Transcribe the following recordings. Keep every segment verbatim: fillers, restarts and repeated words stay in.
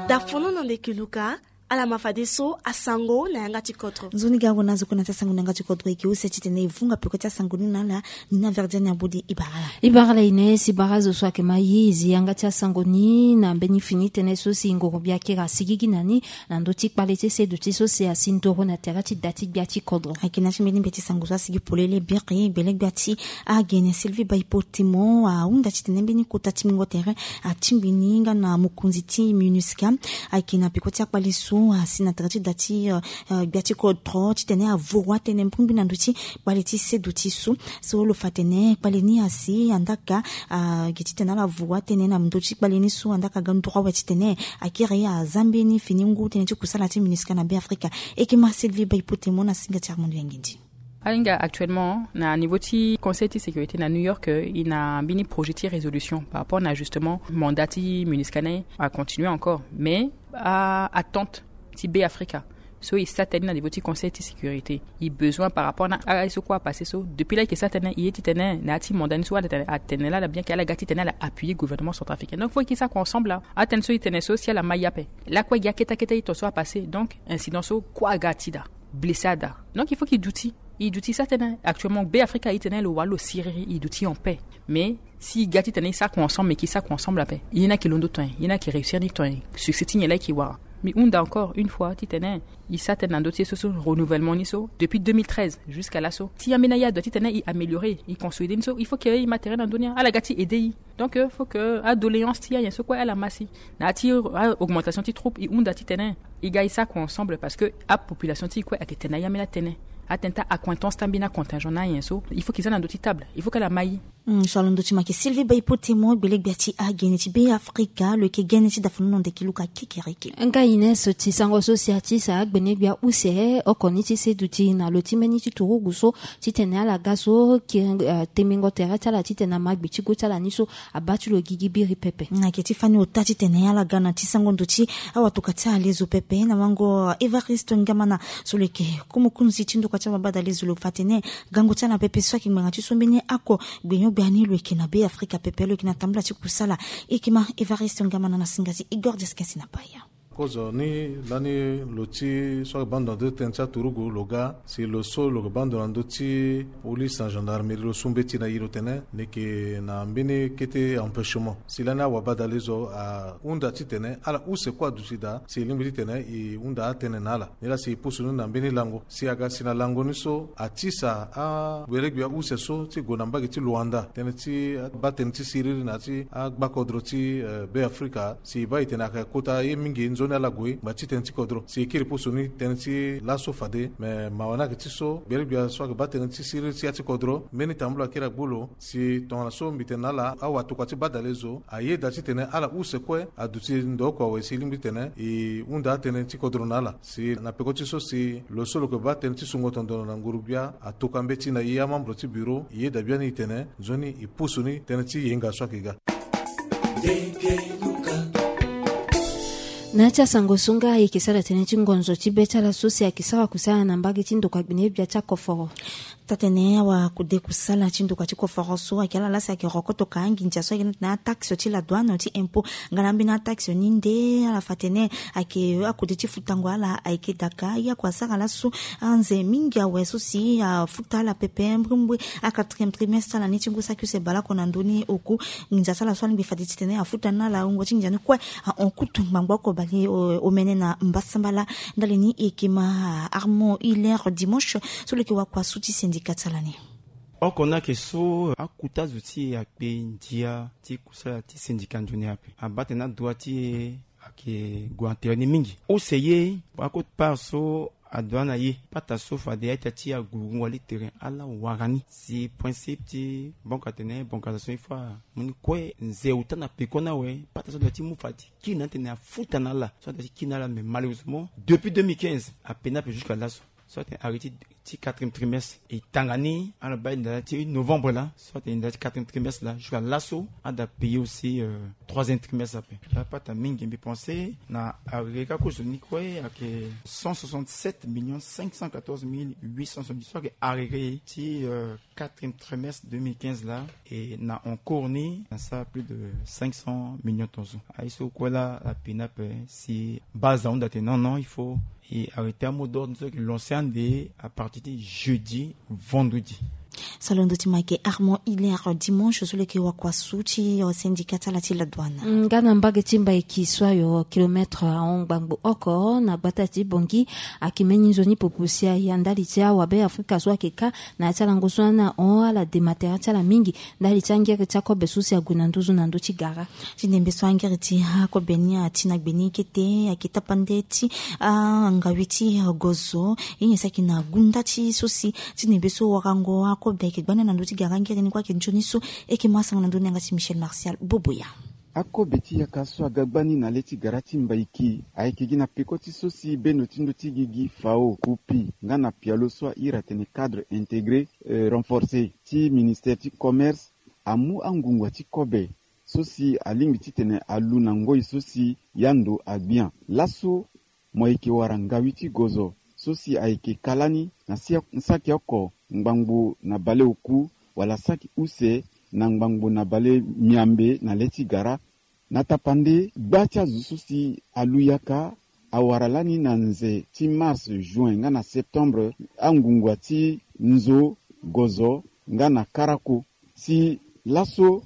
Dafono na ndeke luka. Ala ma fadeso asango na yanga ti kodro. Nzoni ga wana zo kue na ti asango na yanga ti kodro eke use titene e vunga peko ti asango ni na ala. Ni na verdiane abodi ibara ala. Ibara ala ine si bara zo so ayeke ma ye e zi yanga ti asango ni na mbeni fini tënë so si ngoro bia kera asigigi na ni na ndö ti kpale ti seduti so si asi ndoro na tere ti da ti gbia ti kodro. Ayeke na ti mbeni mbeti sango so asigi polele biri gbele gbia ti agene Sylvie Baipotemo ahunda titene mbeni kota ti mingo tere atingbi ni nga na mokonzi ti minusca. Ayeke na peko ti akpale so asi na tere ti da ti gbia ti kodro titene avoro atene mbirimbiri na ndö ti kpale ti seduti so. So lo fa atene kpale ni asi andaka agi titene ala voro atene na ndö ti kpale ni so andaka ga nduru awe titene akiri aza mbeni fini ngu tënë ti kusala ti minusca na be afrika. Eke ma Sylvie Baipotemo na singa ti Armando Yangindi. Ahinga actuellement na niveau ti conseil ti sécurité na New York, e na mbeni projet ti résolution par rapport na justement mandat ti minusca ni acontinuer encore mais a attente ti be afrika. So e sara tënë ni na niveau ti conseil ti sécurité e besoin par rapport na ala ye so kue apasse so depuis la e yeke sara tënë e ye titene na ya ti mandat ni so ala tene la ala bien ke ala ga titene ala appuyer gouvernement centrafricain donc faut e ke sara kua ensemble la. Atënë so e tene so si ala ma ye ape lakue e gi akete akete e to so apasse donc incident so kue aga ti daa blessé ada. Donc il faut ke e duti e duti sara tënë actuellement be afrika e tene lo wara lo siriri e duti en paix. Mais si e ga titene e sara kua ensemble mais ke e sara kua ensemble ape ye ni ayeke londo ton nyen ye ni ayeke réussir ni ton nyen succès ti nyen la e ke wara. Mbi hunda encore une fois titene e sara tënë na ndö ti ye so so renouvellement ni so depuis deux mille treize jusqu'à laso ti ambeni aye adua titene e améliorer e consolider ni so il faut ke e ma tere na ndö ni ala ga ti aider e. Donc faut ke adoléance ti ayen so kue ala ma si na ya ti augmentation ti troupe e hunda titene e ga e sara kua ensemble parce que apopulation ti e kue ayeke tene na ye ambeni atënë. Atënë ti aaccointance ti ambeni acontingent na ayen so il faut ke e za na ndö ti table il faut ke ala ma e. So alondo ti make Sylvie Baipotemo gbele gbia ti agene ti be afrika lo yeke gene ti dafono na ndeke luka kekereke. Nga ine so ti sango so si ati sa agbene gbia use oko ni ti seduti na lo ti mbeni ti turugu so titene ala ga so temingo tere ti ala titene ama gbe ti go ti ala ni so abaa ti lo gigi biri pepe. Ayeke ti fani ota titene ala ga na ti sango ndo ti awatoka ti alezo pepe na wango Evariste Ngamana so lo yeke ku mokonzi ti ndokua ti ababadalezo lo fa tene gango ti ala pepe so ayeke ngbanga ti so mbeni ako gbenyo-gbia ni lo yeke na be afrika pepe lo yeke na tambula ti kusala. Eke ma Evariste Ngamana na singa ti Igor Diaskesi na paya. Kozo ni lani lo ti so ayeke baa ndo na ndö ti tënë ti aturugu lo ga si lo so lo yeke baa ndo na ndö ti police na gendarmerie lo su mbeti na e lo tene ni yeke na mbeni kete empêchement si lani awabadalezo ahunda titene ala use kue aduti daa si e lingbi titene e hunda atënë na ala. Ni laa si e pusu ni na mbeni lango si aga si na lango ni so atisa agberegbia use so ti gue na mbage ti luanda tënë ti baa tënë ti siriri na ya ti agbakodro ti be afrika si e baa e tene ayeke kota ye mingi nzoni ala gue ngba ti tënë ti kodro si e kiri pusu ni tënë ti laso fade me mawa ni ayeke ti so gberegbia so ayeke baa tënë ti siriri ti ya ti kodro mbeni tambula akiri agbu lo si tongana so mbi tene na ala awatokua ti badalezo ayeda titene ala use kue aduti ndo oko awe si e lingbi titene e hunda atënë ti kodro na ala si na peko ti so si lo so lo yeke baa tënë ti sungo tondono na nguru-gbia atoka mbeti na e amembre ti bureau e yeda biani e tene nzoni e pusu ni tënë ti yenga so ayeke ga. Na ya ti asango so nga e yeke sara tënë ti ngonzo ti be ti ala so si ayeke sara kusala na mbage ti ndokua gbene-gbia ti akoforo. Taa-tene awakude kusala ti ndokua ti koforo so ayeke ala laa si ayeke rokoto ka anginza so ayeke na tene ataxe ti la douane ti impôt nga na ambeni ataxe ni nde ala fa tene ayeke akude ti futango ala ayeke daka ye ako asara laso anze mingi awe so si afuta ala pepe mbrimbri. Aquatrième trimestre ala ni ti ngu saki use baleoko na ndö ni oku nginza ti ala so alingbi fade titene afuta ni na ala wungo ti nginza ni kue ahon kutu ngbangbo oko baleomene na mbasambala. Ndali ni e yeke ma Armand Hilaire Dimanche so lo yeke wakua su ti syndicat ti ala ni. Oko ni ayeke so akuta zo ti e akpe ndia ti kusala ti syndicat nzoni ape abaa tene adua ti e ayeke gue na tere ni mingi use ye. Akota part so adua na ye pata so fade a-ita ti aguru wali tere ala wara ni si principe ti banque atene banque aza so il faut amu ni kue nze uta na peko ni awe pata so adua ti mu fade kiri na ni atene afuta na ala so adua ti kiri na ala mais malheureusement depuis deux mille quinze ape ni ape jusqu'à laso so atene arrêté ti quatrième trimestre. E tanga ni ala baa e ndala ti novembre laa, so atene ndala ti quatrième trimestre laa jusqu'à laso, ada payer aussi euh, troisième trimestre ape. Apata mingi mbi pense na arrêté kaka kozoni kue ayeke cent soixante-sept millions cinq cent quatorze mille huit cent soixante-dix, so ayeke arrêté ti euh, quatrième trimestre deux mille quinze laa. E na en cours ni na sara plus de cinq cent millions tonso. Aye so kue laa ape ni ape si base ahunda tene non non il faut e arrêté amot d'ordre ni so ayeke lancé ande à partir ti jeudi, vendredi. Salondo ti ma ayeke Armand Hilaire, dimanche so lo yeke wakua su ti syndicat ti ala ti la douane. Nga na mbage ti Mbaiki so ayo kilomètre ahon ngbangbo oko na gbata ti Bangui. Ayeke mbeni nzoni popo si aya ndali ti awabe Afrika so ayeke kâ na ya ti alango so ana hon ala dema tere ti ala mingi ndali ti angere ti akobe so si ague na nduzu na ndö ti gara. Ti ndembe so angere ti akobe ni ati na gbe ni kete ayeke tapande ti angawe ti gozo. Ye nyen si ayeke na gunda ti so si ti ndembe so warango akobe ayeke gbani na ndö ti gara angere ni kue ayeke nzoni so. Eke ma asango na ndö ni yanga ti Michel Martial Boboya. Akobe ti yaka so aga gbani na le ti gara ti Mbaiki ayeke gi na peko ti so si bendo ti ndö ti gigi Fao, Kupi nga na pialo so ahiri atene cadre intégré euh, renforcé ti ministère ti commerce amu angungua ti kobe so si alingbi titene alu na ngoi so si yando agbia. Laso mo yeke wara ngawi ti gozo so si ayeke ka lani na si- saki oko ngbangbo na baleoku wala saki use na ngbangbo na bale miambe na le ti gara. Na tapande gba ti azo so si alu yaka awara lani na nze ti mars, juin nga na septembre angungua ti nzo, gozo nga na karako. Si laso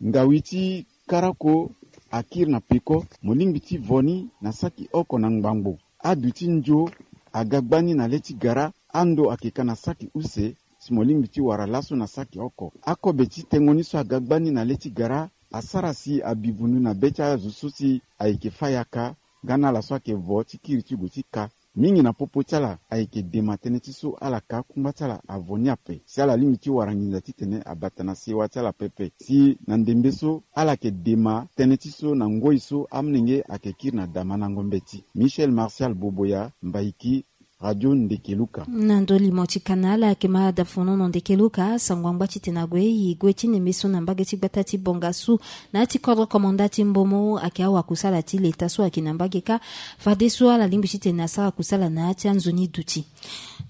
ngawi ti karako akiri na peko, mo lingbi ti vo ni na saki oko na ngbangbo. Aduti ndio aga gbani na le ti gara, ando ayeke ka na saki use. Si mo lingbi ti wara laso na saki oko. Akobe ti tengo ni so aga gbani na le ti gara asara si abi vundu na be ti azo so si ayeke fâ yaka nga na ala so ayeke vo ti kiri ti gue ti ka. Mingi na popo ti ala ayeke dema tënë ti so ala ka kungba ti ala avo ni ape si ala lingbi ti wara nginza titene abata na sewa ti ala pepe. Si na ndembe so ala yeke dema tënë ti so na ngoi so amolenge ayeke kiri na damandango mbeti. Michel Martial Boboya, Mbaiki, Radio Ndekeluka. Na ndö limo ti kana ala ayeke ma da fonono Ndekeluka sango angba titene ague e gue ti ndembe so na mbage ti gbata ti Bongasu na ya ti kodro komanda ti Mbomo ayeke awakusala ti leta so ayeke na mbage kâ. Fadeso ala lingbi titene asara kusala na ya ti anzoni duti.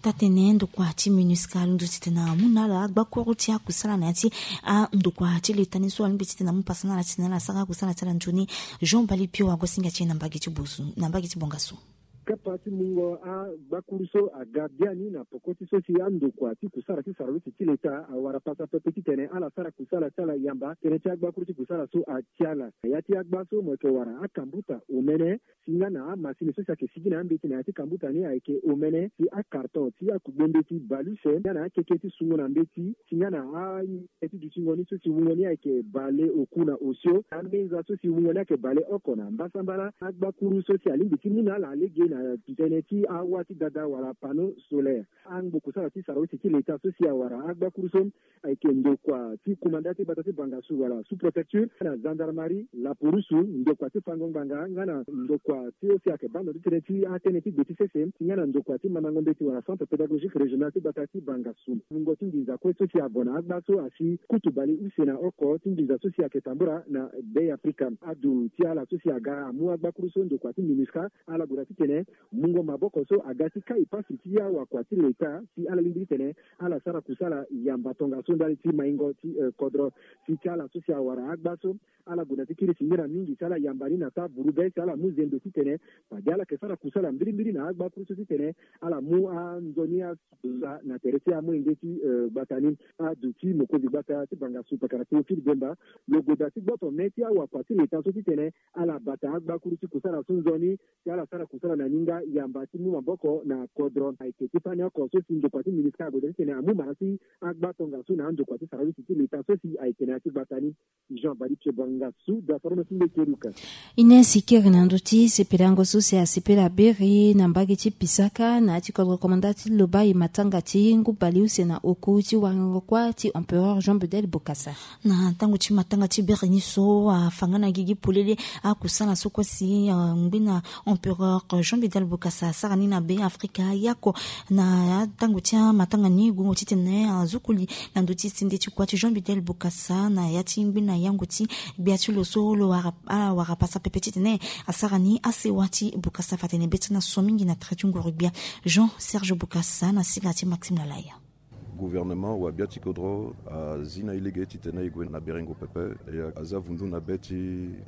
Taa-tënë ndokua ti MINUSCA alondo titene amu na ala agbakuru ti akusala na ya ti andokua ti leta ni so alingbi titene amu pasa na ala titene ala sara akusala ti ala nzoni. Jean Bali Pio ague singa ti e na mbage ti Bongasu. Kapa ti mungo agbakuru so aga biani na poko ti so si andokua ti kusala ti saraluti ti leta awara pasa pepe titene ala sara kusala ti ala yamba tënë ti agbakuru ti kusala so ati ala. Ya ti agba so mo yeke wara akambuta omene si nga na amasini so si ayeke sigi na ambeti na ya ti kambuta ni ayeke omene si akarton ti akugbe mbeti bale use nga na akeke ti sungo na mbeti si nga na a- e ti dutingo ni so si wungo ni ayeke bale oku na osio. Amenza so si wungo ni ayeke bale oko na mbasambala. Agbakuru so si alingbi ti mu na ala lege na tënë ti awa ti dada wala panneau solaire. Angbo kusala ti saraluti ti leta so si awara agbakuru so ayeke ndokua ti kumanda ti gbata ti Bangassou wala sous-préfecture, na gendarmerie, laporusu, ndokua ti fango ngbanga nga na ndokua ti so si ayeke bando ti tënë ti atënë ti gbe ti sese si nga na ndokua ti mandango mbeti wala centre pédagogique régional ti gbata ti Bangassou. Mungo ti nginza kue so si ago na agba so asi kutu bale use na oko ti nginza so si ayeke tambula na Bêafrika. Adu ti ala so si aga amu agbakuru so ndokua ti MINUSCA ala gue daa titene mungo maboko so aga ti kai pasi ti awakua ti leta si ala lingbi titene ala sara kusala yamba tongaso ndali ti maingo ti eh, kodro. Si ti ala so si awara agba so ala gue na ti kiri singila mingi si ala yamba ni na taa vuru be si ala mu zendo titene fade ala yeke sara kusala mbirimbiri na agbakuru so titene ala mu anzoni asusa na tere ti amolenge ti eh, gbata ni. Adu ti mokonzi gbata ti Bangassou pakara Théophile Bemba lo gue daa ti gboto me ti awakua ti leta so titene ala bata agbakuru ti kusala so nzoni si ala sara kusala na ni nga yamba ti mu maboko na kodro. Ayeke ti fani oko so si ndokua ti MINUSCA ague daa titene amu mara ti agba tongaso na andokua ti saraluti ti leta so si ayeke na ya ti gbata ni. Jean Badi Pio Bangassou, Dafarono ti Ndekeluka. Ines kiri na ndö ti sepelango so si asepela beri na mbage ti Pisaka na ya ti kodro komanda ti loba e matanga ti ngu baleuse na oku ti warango kuâ ti empereur Jean Bedel Bokassa. Na tango ti matanga ti beri ni so afa nga na gigi polele akusala so kue si angbi na empereur Jean Jean Bedel Bokassa asara ni na Be Afrika yako na tango ti amatanga ni gungo titene azukuli na ndo ti sende ti kua ti Jean Bedel Bokassa na ya ti ngbi na yango ti gbia ti lo so lo wara, awara pasa pepe titene asara ni asewa ti Bokassa. Fa tene be ti na so mingi na trait ti nguru gbia Jean Serge Bokassa na siga ti Maxime Lalaya. Gouvernement wa bia ti kodro azi na e lege titene e gue na berengo pepe. E aza vundu na be ti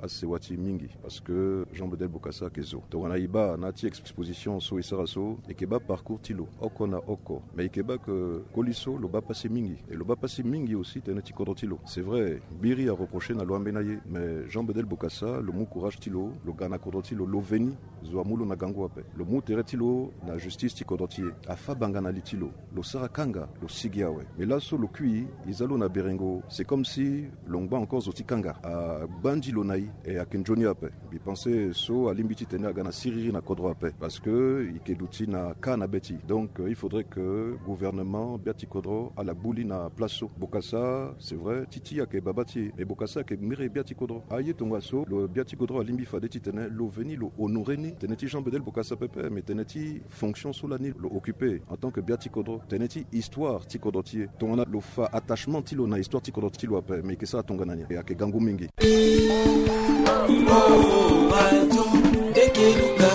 asewa ti mingi parce que Jean Bedel Bokassa ayeke zo tongana e baa na ya ti exposition so e sara so, e yeke baa parcours ti lo oko na oko. Mais e yeke baa ke koli so lo baa pasi mingi, e lo baa pasi mingi aussi tënë ti kodro ti lo. C'est vrai, biri areproché na lo ambeni aye, mais Jean Bedel Bokassa lo mu courage ti lo, lo ga na kodro ti lo, lo veni. Zo amu lo na gango ape. Lo mu tere ti lo na justice ti kodro ti e. Afa banga na li ti lo. Lo sara kanga, lo sigi awe. Mais laso lo kui, e za lo na berengo, c'est comme si lo ngba encore zo ti kanga. Agbandi lo na e, e ayeke nzoni ape. Mbi pense so alingbi titene aga na siriri na kodro ape. Parce que e yeke duti na ka na be ti e. Donc, euh, il faudrait que gouvernement bia ti kodro ala gbu li na place so. Bokassa, c'est vrai, ti ti ayeke baba ti e. Mais Bokassa ayeke mbiri bia ti kodro. Aye tongaso, lo bia ti kodro alingbi fade titene lo veni lo honoré ni tënë ti Jean Bedel Bokassa pepe, mais tënë ti fonction so lani lo occupé en tant que bia ti kodro, tënë ti histoire ti kodro ti e. Tongana lo fa attachement ti lo na histoire ti kodro ti lo ape, mais e yeke sara tongana ni, e ayeke gangu mingi.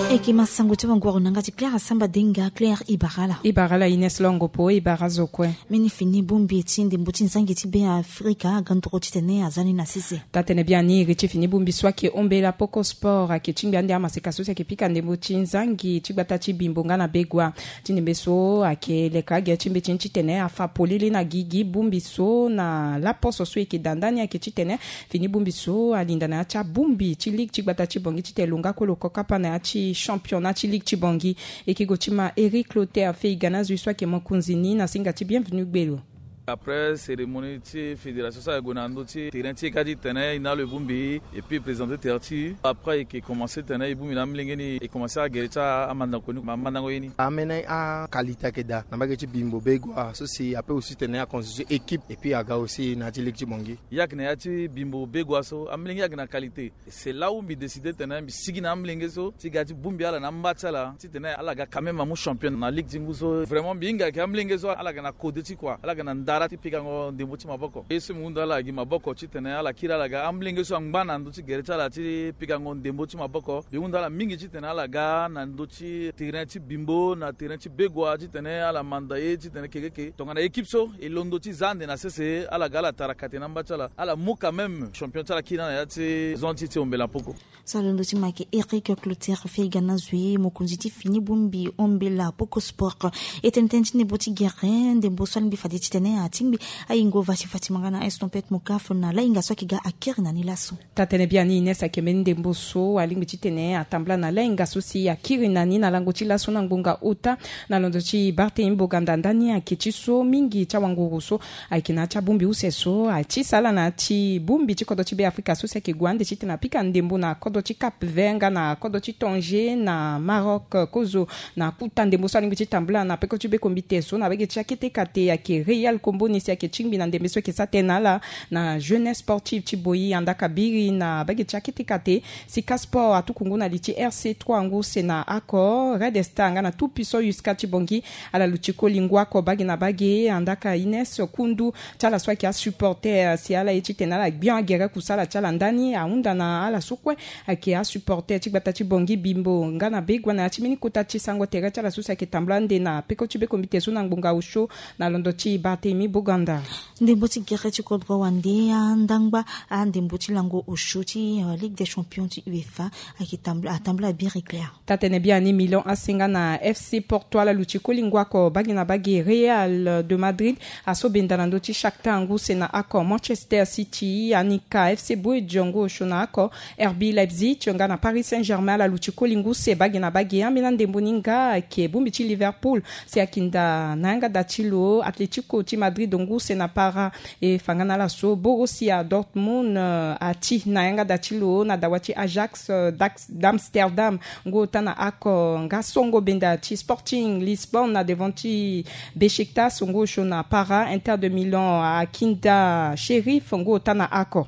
E yeke ma sango ti wanguru na yanga ti Claire Asamba Denga. Claire, e bara ala. E bara ala Ines Longo Po, e bara azo kue. Mbeni fini bongbi ti ndembo ti nzangi ti Be Afrika aga nduru titene aza ni na sese. Taa-tene biani iri ti fini bongbi so ayeke ombela poko sport ayeke tingbi ande amaseka so si ayeke pika ndembo ti nzangi ti gbata ti Bimbo nga na Begoua. Ti ndembe so ayeke leka agere ti mbeti ni titene afa polele na gigi bongbi so na laposo so e yeke daa ndani ayeke titene fini bongbi so alinda na ya ti abongbi ti ligue ti gbata ti Bangui titene lo nga kue lo kokapa na ya ti championnat ti ligue ti Bangui. E yeke gue ti ma Eric Clotaire Feiga na zo so ayeke mokonzi ni na singa ti Bienvenu Gbelo. Après cérémonie ti fédération so ayeke gue na ndö ti terrain ti e kâ titene e na lo e bongbi et puis e présenter terrain ti e. Après e yeke commencer titene e bongbi na amolenge ni, e commencer agere ti amandango ni, amandango ye ni. Amene aqualité ayeke daa na mbage ti Bimbo Begoua so si ape aussi titene aconstituer équipe et puis aga aussi na ya ti ligue ti Bangui. E yeke na ya ti Bimbo Begoua so amolenge ayeke na qualité. C'est là où mbi décider titene mbi sigi na amolenge so ti ga ti bongbi ala na amba ti ala titene ala ga quand même amu champion na ligue ti ngu so. Vraiment mbi hinga ayeke amolenge so ala ga na kode ti kua, ala ga na ndara ti pikango ndembo ti maboko. Ye so mbi hunda ala gi maboko titene ala kiri ala ga amolenge so angba na ndö ti gere ti ala ti pikango ndembo ti maboko. Mbi hunda ala mingi titene ala ga na ndö ti terrain ti Bimbo na terrain ti Begoua titene ala manda ye titene kekeke tongana équipe so e londo ti za ande na sese ala ga ala tara kate na amba ti ala, ala mu quand même champion ti ala kiri na ya ti zone ti e ti Ombela Poko. So alondo ti ma ayeke Eric Clotaire Feiga na zo ye mokonzi ti fini bongbi Ombela Poko Sport. E tene tënë ti ndembo ti gere, ndembo so alingbi fade titene atingbi ayingo Vasi Fatima nga na Estompette Mokaf na lahinga so ayeke ga akiri na ni laso. Taa-tene biani Ines ayeke mbeni ndembo so alingbi titene atambula na lahinga so si akiri na ni na lango ti laso na ngbonga ota na londo ti Barthélemy Boganda ndani ayeke ti so mingi ti awanguru so ayeke na ya ti abongbi use so ati sala na ya ti bongbi ti kodro ti Be Afrika so si ayeke gue ande titene apika ndembo na kodro ti Cap Vert nga na kodro ti Tanger na Maroc kozo. Na kuta ndembo so alingbi ti tambula na peko ti bekombite so na bage ti akete kate ayeke Real Kombo ni si ayeke tingbi na ndembe so ayeke sa tënë na ala na jeunesse sportive ti Boyi andaka biri na bage ti akete kate. Sika Sport atuku ngu na li ti R C trois ngu use na oko, Red Star nga na Tout Puissant Yuska ti Bangui ala luti koli ngu oko bage na bage. Andaka Ines Kundu ti ala so ayeke asupporter si ala ye titene ala gbion agere kusala ti ala ndani ahunda na ala so kue ayeke asupporter ti gbata ti Bangui Bimbo nga na Begoua na ya ti mbeni kota ti sango tere ti ala so si ayeke tambula ande na peko ti bekombite so na ngbonga osio na londo ti Barthélemy Boganda. Ndembo ti gere ti kodro wande andangba andembo ti lango osio ti, euh, Ligue des Champions ti UEFA ayeke tambula, atambula biri Claire. Taa-tene biani Milan A C nga na F C Porto ala luti koli ngu oko bage na bage. Real de Madrid aso benda na ndö ti Shakhtar ngu use na oko. Manchester City anika F C Bourges ngu osio na oko. R B Leipzig nga na Paris Saint-Germain ala luti koli ngu use bage na bage. Ambeni andembo ni nga ayeke bongbi ti Liverpool si akinda na yanga da ti lo Atletico ti Madrid ngu use na para. E fa nga na ala so Borussia Dortmund, euh, ati na yanga da ti lo na dawa ti Ajax, euh, d'Amsterdam ngu ota na oko. Nga songo benda ti Sporting Lisbonne na devant ti Besiktas ngu osio na para. Inter de Milan akinda Sheriff ngu ota na oko.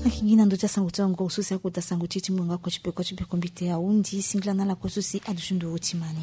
Akingi na ndo ti asango ti angoro so si akota sango ti ti mungo nga koti peko ti peko mbite ahundi singila na ala kue so si aduti ndo ti mani.